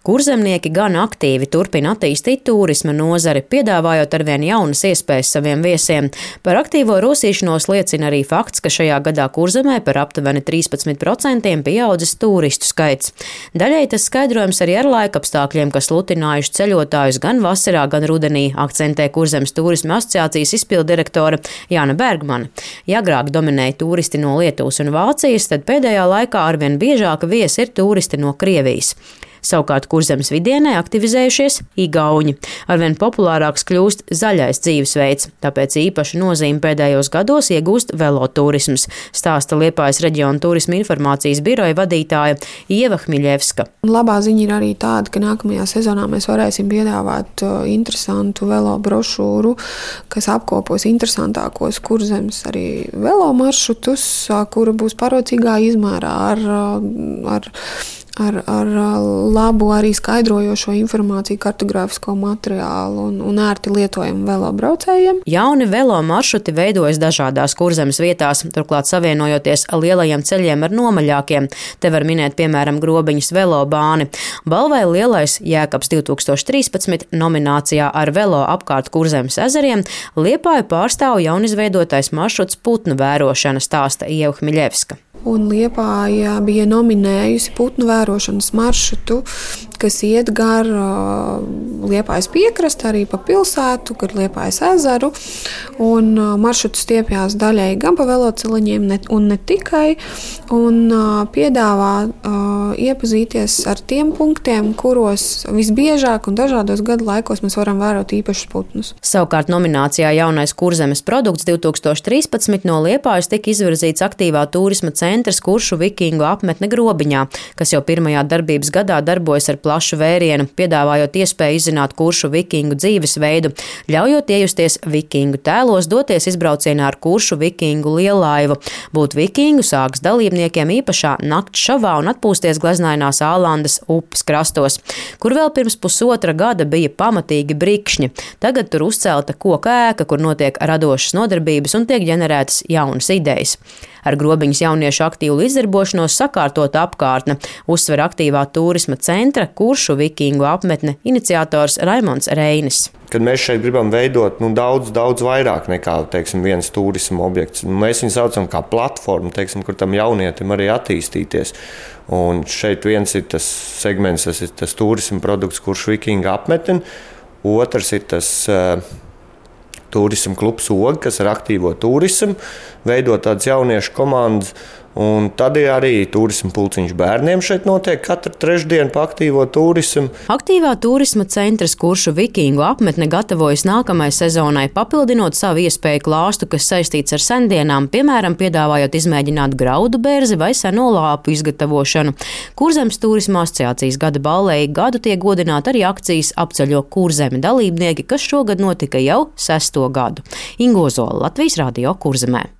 Kurzemnieki gan aktīvi turpina attīstīt turisma nozari, piedāvājot arvien jaunas iespējas saviem viesiem. Par aktīvo rosīšanos liecina arī fakts, ka šajā gadā Kurzemē par aptuveni 13% pieaudzis turistu skaits. Daļai tas skaidrojams arī ar laikapstākļiem, kas lutinājuši ceļotājus gan vasarā, gan rudenī, akcentē Kurzemes turisma asociācijas izpildirektore Jāna Bergmane. Ja agrāk dominēja turisti no Lietuvas un Vācijas, tad pēdējā laikā arvien biežāk viesi ir turisti no Krievijas. Savukārt Kurzemes vidienē aktivizējušies igauņi. Arvien populārāks kļūst zaļais dzīvesveids, tāpēc īpašu nozīmi pēdējos gados iegūst veloturisms, stāsta Liepājas reģiona turisma informācijas biroja vadītāja Ieva Hmiļevska. Labā ziņa ir arī tāda, ka nākamajā sezonā mēs varēsim piedāvāt interesantu velo brošūru, kas apkopos interesantākos Kurzemes arī velo maršrutus, kura būs parocīgā izmērā ar labu arī skaidrojošo informāciju, kartogrāfisko materiālu un ērti lietojumu velobraucējiem. Jauni velo maršruti veidojas dažādās Kurzemes vietās, turklāt savienojoties lielajiem ceļiem ar nomaļākiem. Te var minēt, piemēram, Grobiņas velobāni. Balvai Lielais Jēkabs 2013 nominācijā ar velo apkārt Kurzemes ezeriem Liepāju pārstāv jaunizveidotais maršruts putnu vērošana, stāsta Ieva Hmiļevska. Un Liepāja bija nominējusi putnu vērošanas maršrutu, kas iet gar Liepājas piekrasti, arī pa pilsētu, gar Liepājas ezeru. Un maršruts stiepjās daļai gan pa veloceliņiem un ne tikai. Un piedāvā iepazīties ar tiem punktiem, kuros visbiežāk un dažādos gadu laikos mēs varam vērot īpašus putnus. Savukārt nominācijā Jaunais Kurzemes produkts 2013 no Liepājas tika izvirzīts aktīvā turisma centrs Kuršu vikingu apmetne Grobiņā, kas jau pirmajā darbības gadā darbojas ar plašu vērienu, piedāvājot iespēju izzināt kuršu vikingu dzīvesveidu, ļaujot iejusties vikingu tēlos, doties izbraucienā ar kuršu vikingu liellaivu. Būt vikingu sāks dalībniekiem īpašā nakts šovā un atpūsties gleznainās Ālandas upes krastos, kur vēl pirms pusotra gada bija pamatīgi brikšņi. Tagad tur uzcelta koka ēka, kur notiek radošas nodarbības un tiek ģenerētas jaunas idejas. Ar Grobiņas jauniešu aktīvu izdarbošanos sakārtot apkārtne, uzsver aktīvā turisma centra Kuršu vikingu apmetne iniciators Raimonds Reinis. Kad mēs šeit gribam veidot daudz vairāk nekā viens turisma objekts, mēs viņu saucam kā platformu, kur tam jaunietim arī attīstīties. Un šeit viens ir tas segments, tas ir tas turisma produkts Kuršu vikingu apmetne, otrs ir tas turisma klubs Oga, kas ar aktīvo turismu veido tādas jauniešu komandas. Un tad ir arī turisma pulciņš bērniem šeit notiek katru trešdienu pa aktīvo turismu. Aktīvā turisma centrs Kuršu vikingu apmetne gatavojas nākamajai sezonai, papildinot savu iespēju klāstu, kas saistīts ar sendienām, piemēram, piedāvājot izmēģināt graudu berzi vai seno lāpu izgatavošanu. Kurzemes turisma asociācijas gada balvei gadu tiek godināti arī akcijas Apceļo Kurzemi dalībnieki, kas šogad notika jau 6. gadu. Ingo Zola, Latvijas radio Kurzemē.